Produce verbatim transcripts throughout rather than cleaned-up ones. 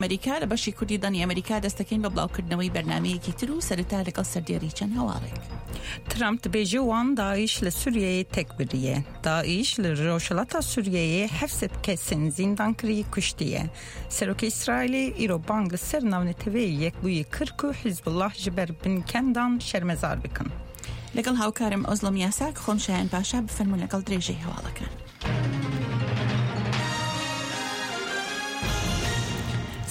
ئەمریکا لە بەشی کوردی دەنگی ئەمریکا دەستەکەین بە بڵاوکردنەوەی بەرنمەیەکی تر و سەرەتا لەگەڵ سەردێڕی چەند هەواڵێک. ترامپ دبێژێ وان داعش لە سوریەیێ تێک بریە. داعش لە ڕۆژهەڵاتا سوریەیێ حەفت کەسێن زیندانکری کوشتیە. سەرۆکێ ئیسرائیلێ ئیرۆ بانگ لە سەر ناونەتەوەیێ یەکبوویی کر کو حیزبوڵڵاه ژ بەر بنکەندان شەرمەزار بکن. لەگەڵ هاوکارم ئۆزڵم یاساک خۆم شایان پاشا بفەرموون لەگەڵ درێژەی هەواڵەکان.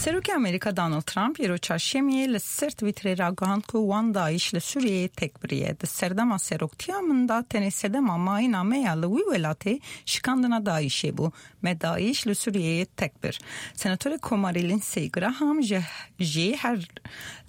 سەرۆکێ ئەمریکا داناڵد ترامپ ئیرۆ چارشەمیێ لە سەر تویترێ ڕاگەهاند کو وان داعش لە سوریەیێ تێک بریە. د سەردەما سەرۆکتیا من دا تەنێ سەدەما ماینا me ya li wî welatê şikandina Daişê bû. Me Daiş li Sûriyeyê tek bir. Senatorê Komarî Lindsey Graham jî her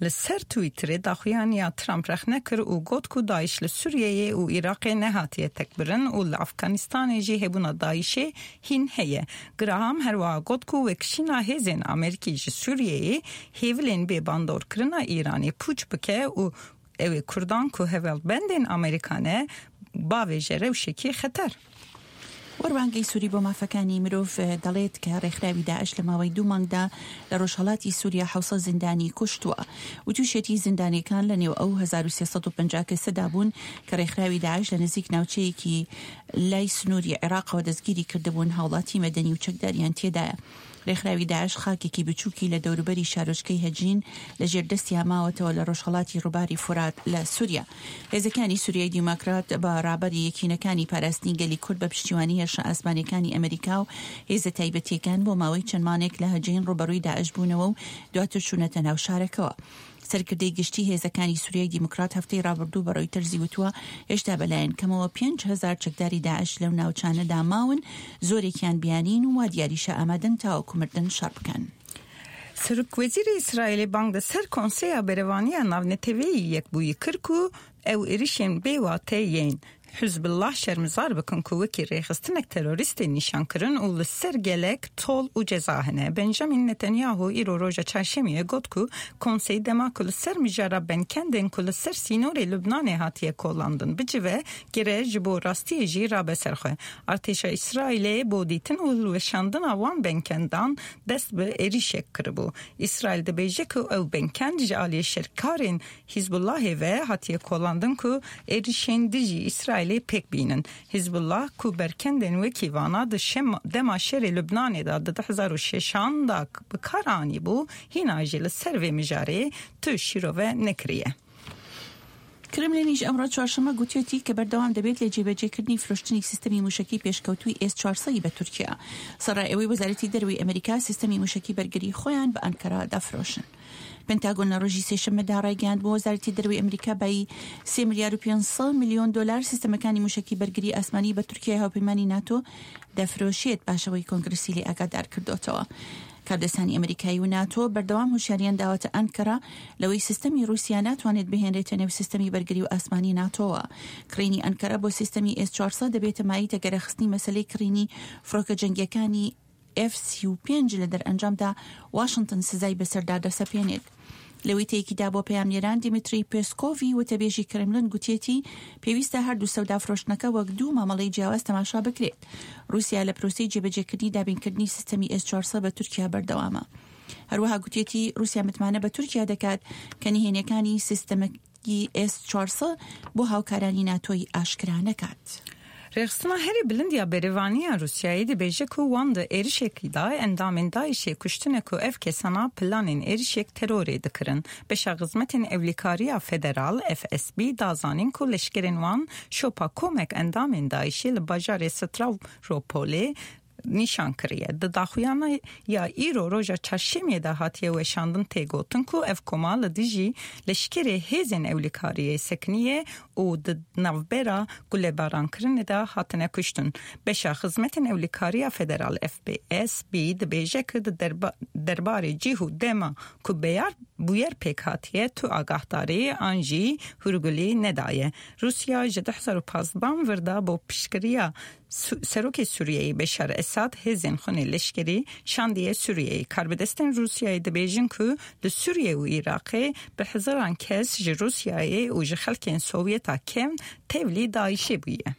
li ser Twitterê daxuyaniya Trump rexne kir û got ku Daiş li Sûriyeyê û Iraqê nehatiye tekbirin û li Afganistanê jî hebûna Daişê hîn heye. Graham herwiha got ku vekişîna hêzên Amerîkî ji Sûriyeyê hêvilên bêbandorkirina Îranê pûç bike û ew ê Kurdan ku hevalbendên Amerîka ne bavêje rewşekî xeter. وەروانگەی سووری بۆ مافەکانی مرۆڤ دەڵێت کە ڕێکخراوی داعش لە ماوەی دوو مانگدا لە ڕۆژهەڵاتی سووریا حەوسەد زیندانی کوشتووە. وتوشێتی زیندانیەکان لە نێو ئەو هەزار و سێ سەد و پەنجا کەسەدا بوون کە ڕێکخراوی داعش لە نزیک ناوچەیەکی لای سنووری عێراقەوە دەستگیری کردبوون، هاوڵاتی مەدەنی و چەکداریان تێدایە. ڕێکخراوی داعش خاکێکی بچووکی لە دەوروبەری شارۆچکەی هەجین لەژێر دەستیا ماوەتەوە لە ڕۆژهەڵاتی ڕووباری فورات لە سووریا. هێزەکانی سووریای دیموکرات بە ڕابەری یەکینەکانی پاراستنی گەلی کورد بە پشتیوانی هێرشە ئاسمانیەکانی ئەمریکا و هێزە تایبەتیەکان بۆ ماوەی چەند مانێک لە هەجین ڕووبەڕووی داعش بوونەوە و دواتر چوونەتە ناو شارەکەوە. سەرکردەی گشتی هێزەکانی سووریای دیموکرات هەفتەی ڕابردوو بە ڕۆیتەرزی وتووە هێشتا بەلایەن کەمەوە پێنج هەزار چەکداری داعش لەو ناوچانەدا ماون، زۆرێکیان بیانین و وا دیاریشە ئامادەن تاوەکو مردن شەڕ بکەن. سەرۆکوەزیری ئیسرائیلێ بانگ لە سەر کۆنسەیا بەرەڤانییا ناونەتەوەیی یەکبوویی کر ku ew êrişên bêwate yên Hizbullah şermezar bikin ku wekî rêxistinek terorîstê nîşan kirin û li ser gelek tol û ceza hene. Benjamin Netanyahu îro roja çarşemiyê got ku konsey dema ku li ser mijara benkendên ku li ser sînorê Lubnanê hatiye kolandin bicive gere ji bo rastiyê jî rabe ser xwe. Artêşa İsraîlê bo dîtin û hilweşandina wan benkendan dest bi êrişek kiribû. İsraîl dibêje ku ew benkend ji aliyê şerkarên Hizbullahê ve hatiye kolandin ku êrişên dijî İsraîlê pêk bînin. Hizbullah ku berkendên wekî vana di dema şerê Lubnanê da di du hezar û şeşan da bi kar anîbû, hîna jî li ser vê mijarê tu şîrove nekiriye. کرملینیش ئەمڕۆ چوارشەممە گوتیەتی کە بەردەوام دەبێت لە جێبەجێکردنی فرۆشتنی سیستەمی موشەکی پێشکەوتووی ئێس چوارسەد بە تورکیا. سەرای ئەوەی وەزارەتی دەرەوەی ئەمریکا سیستەمی موشەکی بەرگری خۆیان بە ئەنکەرا دەفرۆشن. پنتاگۆن لە ڕۆژی سێشەممەدا ڕایگەیاند بۆ وەزارەتی دەرەوەی ئەمریکا بایی سێ ملیار و پێنج سەد میلیۆن دلار سیستەمەکانی موشەکی بەرگری ئاسمانی بە تورکیای هاوپەیمانی ناتۆ دەفرۆشێت، پاشەوەی کۆنگرسی لێ ئاگادار کردوتەوە. کاردەستانی ئەمریکایی و ناتۆ بەردەوام هوشیاریان داوەتە ئەنکەرا لەوەی سیستەمی رووسیا ناتوانێت بهێنرێتە نێو سیستەمی بەرگری و ئاسمانی ناتۆوە. کڕینی ئەنکەرا بۆ سیستەمی ئێس چوارسەد دەبێتە مایەی تەگەرەخستنی مەسەلەی کڕینی فڕۆکە جەنگیەکانی ئێف سی و پێنج لە دەرئەنجامدا واشنگتن سزای بەسەردا دەسەپێنێت. لە وتەیەکیدا بۆ پەیامنێران دیمیتری پێسکۆڤی وتەبێژی کرملن گوتیەتی پێویستە هەردوو سەودا فرۆشتنەکە وەک دوو مامەڵەی جیاواز تەماشا بکرێت. رووسیا لە پرۆسەی جێبەجێکردنی دابینکردنی سیستەمی ئێس چوارسەد بە تورکیا بەردەوامە. هەروەها گوتیەتی رووسیا متمانە بە تورکیا دەکات کە نهێنیەکانی سیستەمەکی ئێس چوارسەد بۆ هاوکارانی ناتۆی ئاشکرا نەکات. Rêxistina herî bilind ya Berêvaniya Rûsyayê dibêje ku wan di êrişekî da endamên Daişê kuştine ku ev kesana planên êrişek terorê dikirin. Beşa Xizmetên Ewlekariya Federal F S B da zanîn ku leşkerên wan şopa komek endamên Daişê li bajarê Stavropolê nîşan kiriye. Di daxuyana ya îro roja çarşemiyê de hatiye weşandin tê gotin ku ev koma li dijî leşkerê hêzên ewlekariyê sekiniye û di navbera gulebarankirinê de hatine kuştin. Beşa Xizmetên Ewlekariya Federal F B S B dibêje ku di derbarê cih û dema ku beyar bûyer pêk hatiye tu agahdarî an jî hûrgulî nedaye. Rûsya ji du hezar û pazdeh vir da bo piştgiriya Serokê Sûriyeyê Beşar Esad hêzên xwe leşkerî şandiye Sûriyeyê. Karbidestên Rûsyayê dibêjin ku li Sûriye û Iraqê bi hezaran kes ji Rûsyayê û ji xelkên Sovyeta kevn tevlî Daişê bûye.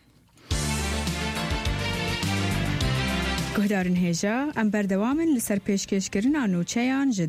Guhdarên hêja, em berdewam in li ser pêşkêşkirina nûçeyan ji